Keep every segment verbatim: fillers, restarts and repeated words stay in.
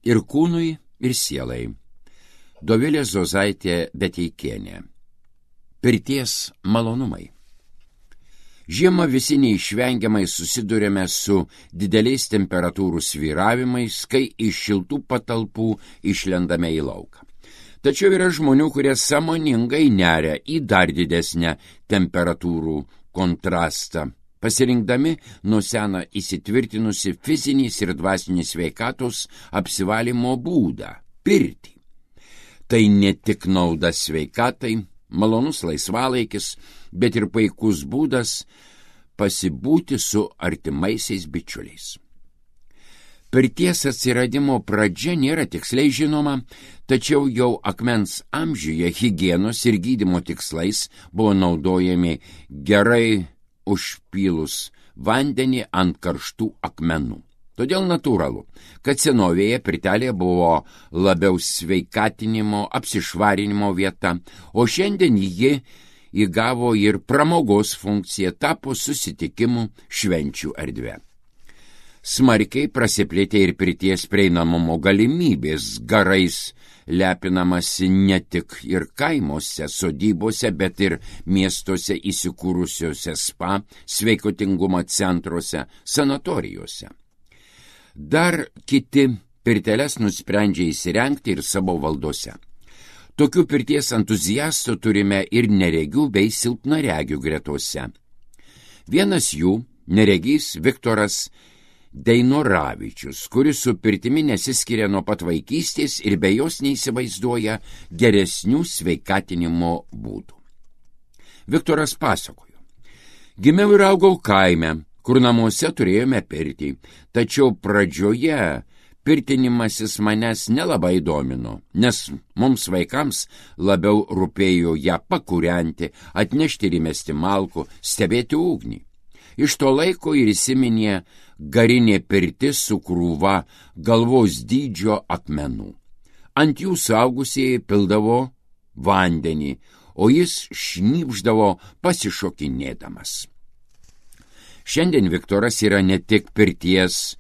ir kūnui, ir sielai. Dovilė Zozaitė Beteikienė. Pirties malonumai. Žiemą visi neišvengiamai susidurėme su dideliais temperatūrų svyravimais, kai iš šiltų patalpų išlendame į lauką. Tačiau yra žmonių, kurie sąmoningai neria į dar didesnę temperatūrų kontrastą, pasirinkdami nuo sena įsitvirtinusi fizinės ir dvasinės sveikatos apsivalymo būdą – pirtį. Tai ne tik nauda sveikatai, malonus laisvalaikis, bet ir puikus būdas pasibūti su artimaisiais bičiuliais. Pirties atsiradimo pradžia nėra tiksliai žinoma, tačiau jau akmens amžiuje higienos ir gydymo tikslais buvo naudojami gerai užpylus vandenį ant karštų akmenų. Todėl natūralu, kad senovėje pirtelė buvo labiau sveikatinimo, apsišvarinimo vieta, o šiandien ji įgavo ir pramogos funkciją, tapo susitikimų švenčių erdvė. Smarkiai prasiplėtė ir pirties prieinamumo galimybės, garais lepinamasi ne tik ir kaimuose, sodybose, bet ir miestuose įsikūrusiuose spa, sveikatingumo centruose, sanatorijose. Dar kiti pirteles nusprendžia įsirengti ir savo valdose. Tokių pirties entuziastų turime ir neregių bei silpnaregių gretose. Vienas jų, neregys Viktoras Deinoravičius, kuris su pirtimi nesiskiria nuo pat vaikystės ir be jos neįsivaizduoja geresnių sveikatinimo būdų. Viktoras pasakojo: gimiau ir augau kaime, kur namuose turėjome pirtį, tačiau pradžioje pirtinimasis manęs nelabai domino, nes mums vaikams labiau rūpėjo ją pakūrenti, atnešti ir įmesti malkų, stebėti ugnį. Iš to laiko ir įsiminė garinė pirtis su krūva galvos dydžio akmenų. Ant jų suaugusieji pildavo vandenį, o jis šnypšdavo pasišokinėdamas. Šiandien Viktoras yra ne tik pirties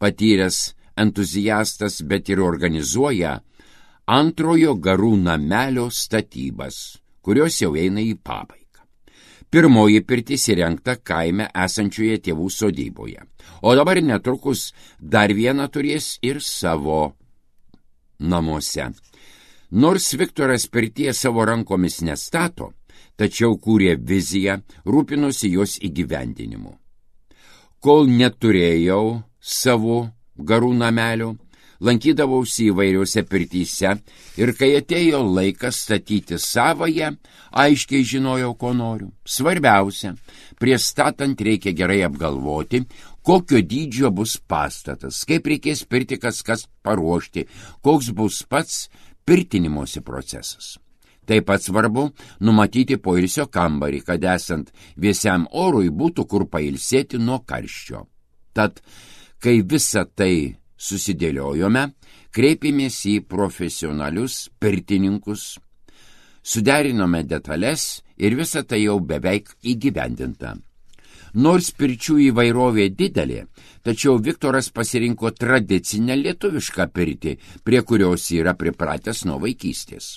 patyręs entuziastas, bet ir organizuoja antrojo garų namelio statybas, kurios jau eina į pabaigą. Pirmoji pirtis įrengta kaime esančioje tėvų sodyboje, o dabar netrukus dar viena turės ir savo namuose. Nors Viktoras pirties savo rankomis nestato, tačiau kūrė viziją, rūpinosi jos įgyvendinimu. Kol neturėjau savo garų namelio, lankydavausi įvairiuose pirtyse ir kai atėjo laikas statyti savąją, aiškiai žinojau, ko noriu. Svarbiausia, prieš statant reikia gerai apgalvoti, kokio dydžio bus pastatas, kaip reikės pirtį kas kas paruošti, koks bus pats pirtinimosi procesas. Taip pat svarbu numatyti poilsio kambarį, kad esant vėsiam orui būtų kur pailsėti nuo karščio. Tad, kai visą tai susidėliojome, kreipėmės į profesionalius pirtininkus, suderinome detales ir visa tai jau beveik įgyvendinta. Nors pirčių įvairovė didelė, tačiau Viktoras pasirinko tradicinę lietuvišką pirtį, prie kurios yra pripratęs nuo vaikystės.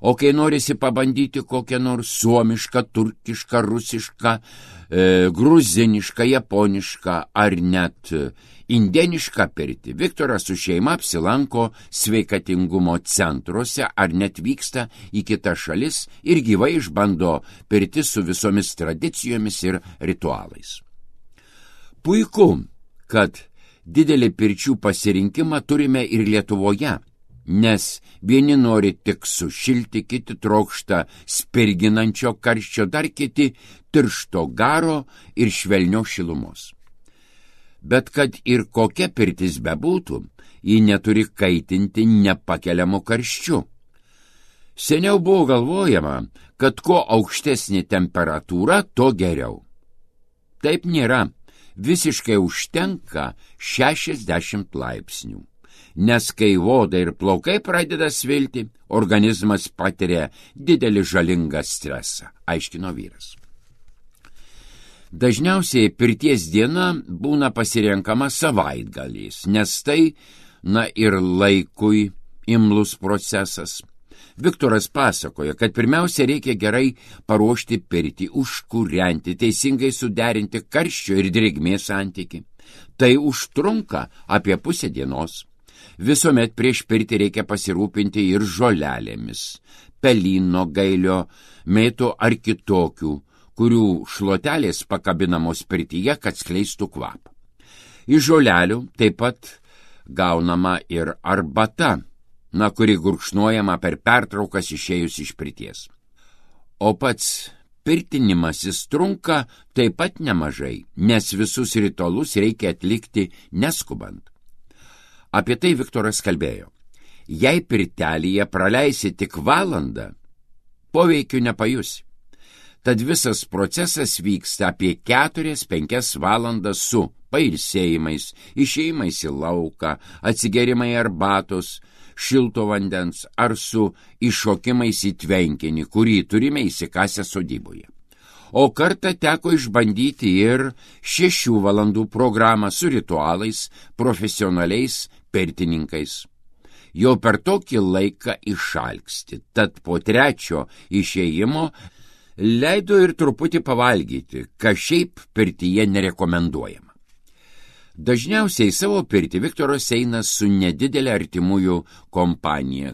O kai norisi pabandyti kokią nors suomišką, turkišką, rusišką, e, gruzinišką, japonišką ar net indėnišką pirtį, Viktoras su šeima apsilanko sveikatingumo centruose ar net vyksta į kitas šalis ir gyvai išbando pirtis su visomis tradicijomis ir ritualais. Puiku, kad didelį pirčių pasirinkimą turime ir Lietuvoje, nes vieni nori tik sušilti, kiti trokšta spirginančio karščio, dar kiti tiršto garo ir švelnio šilumos. Bet kad ir kokia pirtis bebūtų, ji neturi kaitinti nepakeliamu karščiu. Seniau buvo galvojama, kad kuo aukštesnė temperatūra, to geriau. Taip nėra, visiškai užtenka šešiasdešimt laipsnių. Nes kai oda ir plaukai pradeda svilti, organizmas patiria didelį žalingą stresą, aiškino vyras. Dažniausiai pirties diena būna pasirenkama savaitgaliais, nes tai na ir laikui imlus procesas. Viktoras pasakoja, kad pirmiausia reikia gerai paruošti pirtį, užkūrenti, teisingai suderinti karščio ir drėgmės santykį. Tai užtrunka apie pusę dienos. Visuomet prieš pirtį reikia pasirūpinti ir žolelėmis, pelyno, gailio, mėtų ar kitokių, kurių šluotelės pakabinamos pirtyje, kad skleistų kvapą. Iš žolelių taip pat gaunama ir arbata, na, kuri gurkšnojama per pertraukas išėjus iš pirties. O pats pirtinimasis trunka taip pat nemažai, nes visus ritualus reikia atlikti neskubant. Apie tai Viktoras kalbėjo. Jei pirtelėje praleisi tik valandą, poveikių nepajusi. Tad visas procesas vyksta apie keturias penkias valandas su pailsėjimais, išėjimais į lauką, atsigerimai arbatos, šilto vandens ar su iššokimais į tvenkinį, kurį turime įsikasę sodyboje. O kartą teko išbandyti ir šešių valandų programą su ritualais, profesionaliais pirtininkais. Jau per tokį laiką išalksti, tad po trečio išėjimo leido ir truputį pavalgyti, kas šiaip pirtyje nerekomenduojama. Dažniausiai savo pirtį Viktoras eina su nedidelė artimųjų kompanija,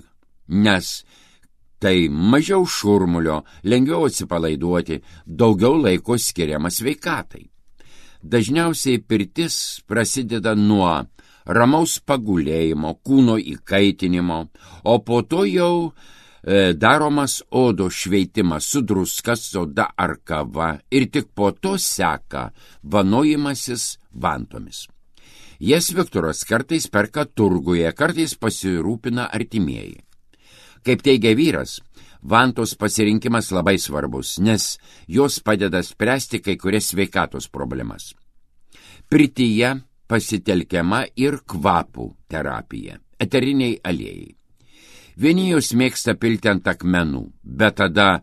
nes tai mažiau šurmulio, lengviau atsipalaiduoti, daugiau laiko skiriama sveikatai. Dažniausiai pirtis prasideda nuo ramaus pagulėjimo, kūno įkaitinimo, o po to jau e, daromas odos šveitimas su druska, soda ar kava ir tik po to seka vanojimasis vantomis. Jas Viktoras kartais perka turguje, kartais pasirūpina artimieji. Kaip teigia vyras, vantos pasirinkimas labai svarbus, nes jos padeda spręsti kai kurias sveikatos problemas. Pirtyje pasitelkiama ir kvapų terapija, eteriniai aliejai. Vieni jos mėgsta pilti ant akmenų, bet tada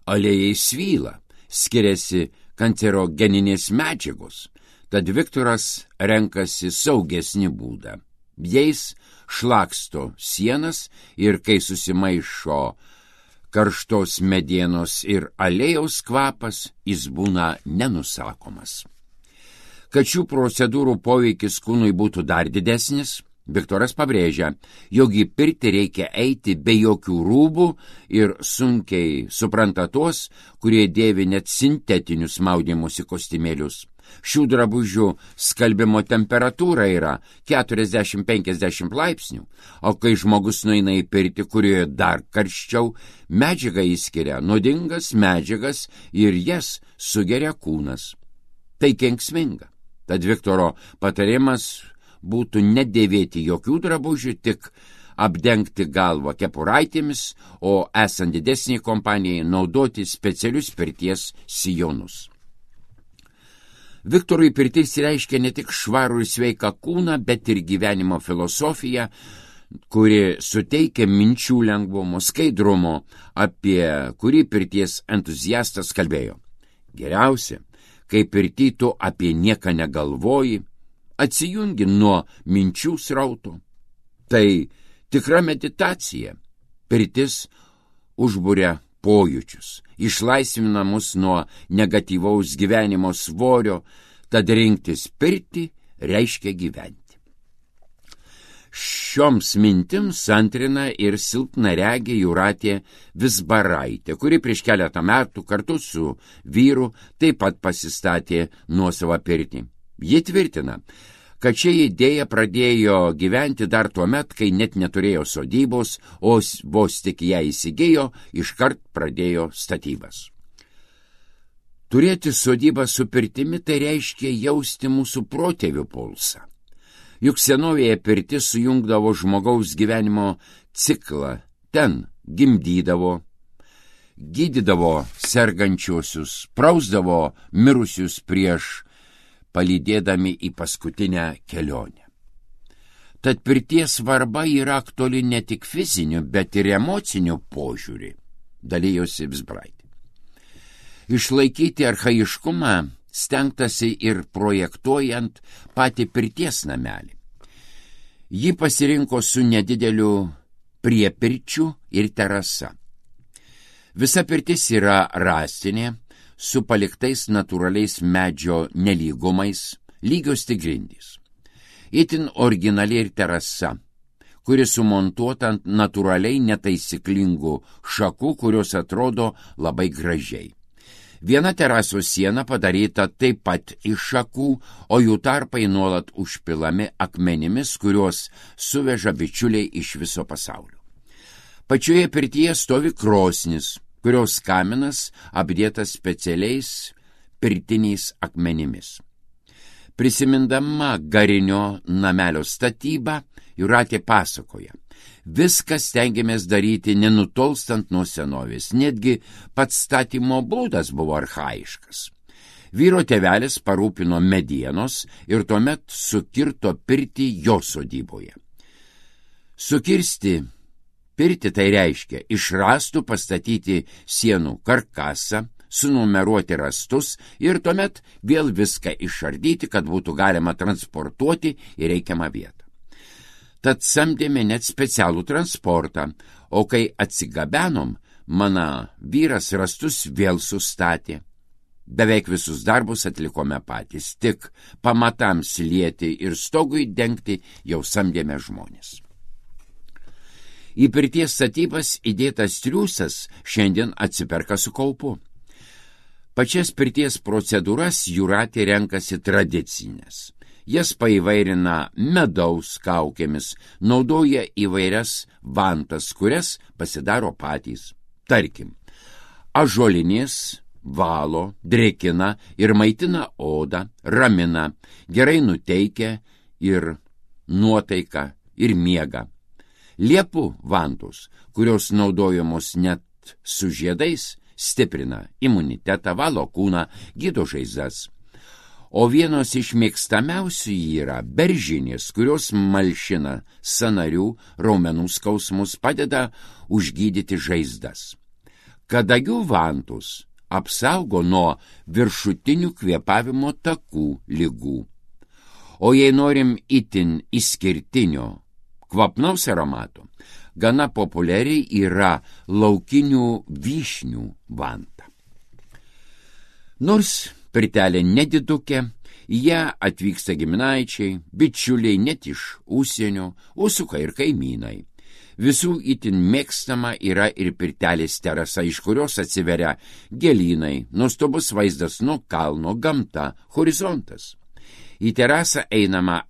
aliejai svyla, skiriasi kancerogeninės medžiagos, tad Viktoras renkasi saugesnį būdą. Jais šlaksto sienas ir kai susimaišo karštos medienos ir aliejaus kvapas, jis būna nenusakomas. Kad šių procedūrų poveikis kūnui būtų dar didesnis, Viktoras pabrėžia, jog į pirtį reikia eiti be jokių rūbų ir sunkiai supranta tuos, kurie dėvi net sintetinius maudymosi kostiumėlius. Šių drabužių skalbimo temperatūra yra keturiasdešimt penkiasdešimt laipsnių, o kai žmogus nueina į pirtį, kurioje dar karščiau, medžiaga įskiria nuodingas medžiagas ir jas sugeria kūnas. Tai kenksminga. Tad Viktoro patarimas būtų nedėvėti jokių drabužių, tik apdengti galvą kepuraitėmis, o esant didesniai kompanijai naudoti specialius pirties sijonus. Viktorui pirtis reiškia ne tik švarų ir sveiką kūną, bet ir gyvenimo filosofiją, kuri suteikia minčių lengvumo, skaidrumo, apie kurį pirties entuziastas kalbėjo. Geriausia, kai pirty tu apie nieką negalvoji, atsijungi nuo minčių srauto. Tai tikra meditacija. Pirtis užburia pojūčius, išlaisvina mus nuo negatyvaus gyvenimo svorio, tad rinktis pirtį reiškia gyventi. Šioms mintims antrina ir silpnaregė Jūratė Vizbaraitė, kuri prieš keletą metų kartu su vyru taip pat pasistatė nuosavą pirtį. Ji tvirtina, kad ši idėja pradėjo gyventi dar tuo met, kai net neturėjo sodybos, o vos tik ją įsigijo, iškart pradėjo statybas. Turėti sodybą su pirtimi tai reiškia jausti mūsų protėvių pulsą. Juk senovėje pirtis sujungdavo žmogaus gyvenimo ciklą, ten gimdydavo, gydydavo sergančiuosius, prausdavo mirusius prieš palydėdami į paskutinę kelionę. Tad pirties svarba yra aktuali ne tik fiziniu, bet ir emociniu požiūrį, dalijosi Vizbaraitė. Išlaikyti archaiškumą stengtasi ir projektuojant patį pirties namelį. Ji pasirinko su nedideliu priepirčiu ir terasa. Visa pirtis yra rąstinė, su paliktais natūraliais medžio nelygumais, lygios tik grindys. Itin originali ir terasa, kuri sumontuota ant natūraliai netaisyklingų šakų, kurios atrodo labai gražiai. Viena terasos siena padaryta taip pat iš šakų, o jų tarpai nuolat užpilami akmenimis, kuriuos suveža bičiuliai iš viso pasaulio. Pačioje pirtyje stovi krosnis, kurios kaminas apdėtas specialiais pirtiniais akmenimis. Prisimindama garinio namelio statybą, Jūratė pasakoja: viskas stengiamės daryti nenutolstant nuo senovės, netgi pats statymo būdas buvo archaiškas. Vyro tėvelis parūpino medienos ir tuomet sukirto pirtį jo sodyboje. Sukirsti pirtį tai reiškia iš rąstų pastatyti sienų karkasą, sunumeruoti rąstus ir tuomet vėl viską išardyti, kad būtų galima transportuoti į reikiamą vietą. Tad samdėme net specialų transportą, o kai atsigabenom, mano vyras rąstus vėl sustatė. Beveik visus darbus atlikome patys, tik pamatams lieti ir stogui dengti jau samdėme žmonės. Į pirties statybas įdėtas triūsas šiandien atsiperka su kaupu. Pačias pirties procedūras Jūratė renkasi tradicinės. Jas paįvairina medaus kaukėmis, naudoja įvairias vantas, kurias pasidaro patys. Tarkim, ąžuolinės valo, drėkina ir maitina odą, ramina, gerai nuteikia ir nuotaiką ir miegą. Liepų vantos, kurios naudojamos net su žiedais, stiprina imunitetą, valo kūną, gydo žaizdas. O vienos iš mėgstamiausių yra beržinės, kurios malšina sąnarių, raumenų skausmus, padeda užgydyti žaizdas. Kadagių vantos apsaugo nuo viršutinių kvėpavimo takų ligų. O jei norim itin išskirtinio kvapnaus aromato, gana populiariai yra laukinių vyšnių vanta. Nors pirtelė nedidukė, ją atvyksta giminaičiai, bičiuliai net iš užsienio, užsuka ir kaimynai. Visų itin mėgstama yra ir pirtelės terasa, iš kurios atsiveria gėlynai, nuostabus vaizdas nuo kalno, gamta, horizontas. Į terasą einama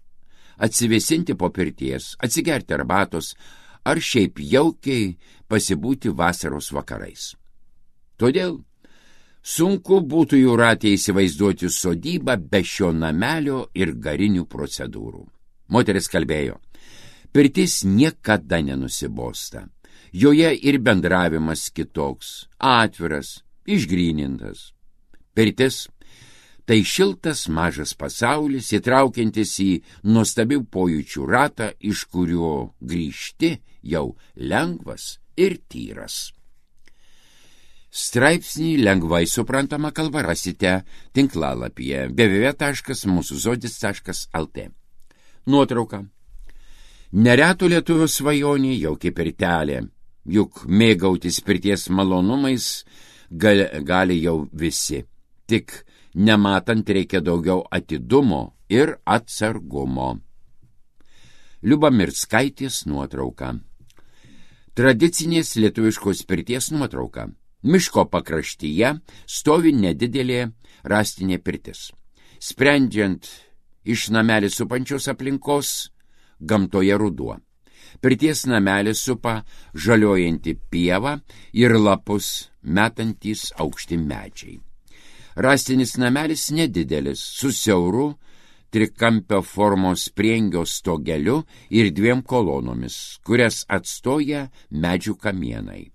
atsivėsinti po pirties, atsigerti arbatos ar šiaip jaukiai pasibūti vasaros vakarais. Todėl sunku būtų Jūratė įsivaizduoti sodybą be šio namelio ir garinių procedūrų. Moteris kalbėjo: pirtis niekada nenusibosta. Joje ir bendravimas kitoks, atviras, išgrynintas. Pirtis tai šiltas mažas pasaulis, įtraukiantis į nuostabių pojūčių ratą, iš kurio grįžti jau lengvas ir tyras. Straipsnį lengvai suprantama kalba rasite tinklalapyje w w w taškas mūsų žodis taškas l t. Nuotrauka. Nereto lietuvio svajonė jauki pirtelė, juk mėgautis pirties malonumais gali, gali jau visi. Tik nematant reikia daugiau atidumo ir atsargumo. Liuba Mirskaitės nuotrauka. Tradicinės lietuviškos pirties nuotrauka. Miško pakraštyje stovi nedidelė rąstinė pirtis. Sprendžiant iš namelį supančios aplinkos, gamtoje ruduo. Pirties namelį supa žaliojanti pieva ir lapus metantys aukšti medžiai. Rąstinis namelis nedidelis, su siauru trikampio formos priengio stogeliu ir dviem kolonomis, kurias atstoja medžių kamienai.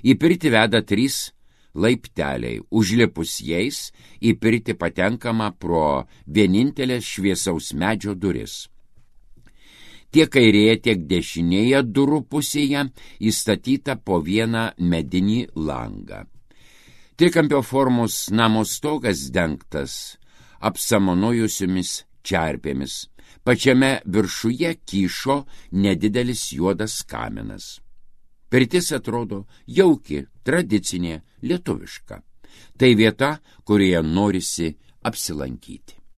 Į pirtį veda trys laipteliai, užlipus jais į pirtį patenkama pro vienintelės šviesaus medžio duris. Tiek kairėje, tiek dešinėje durų pusėje įstatyta po vieną medinį langą. Trikampio formos namo stogas dengtas apsamanojusiomis čerpėmis. Pačiame viršuje kyšo nedidelis juodas kaminas. Pirtis atrodo jauki, tradicinė, lietuviška. Tai vieta, kurioje norisi apsilankyti.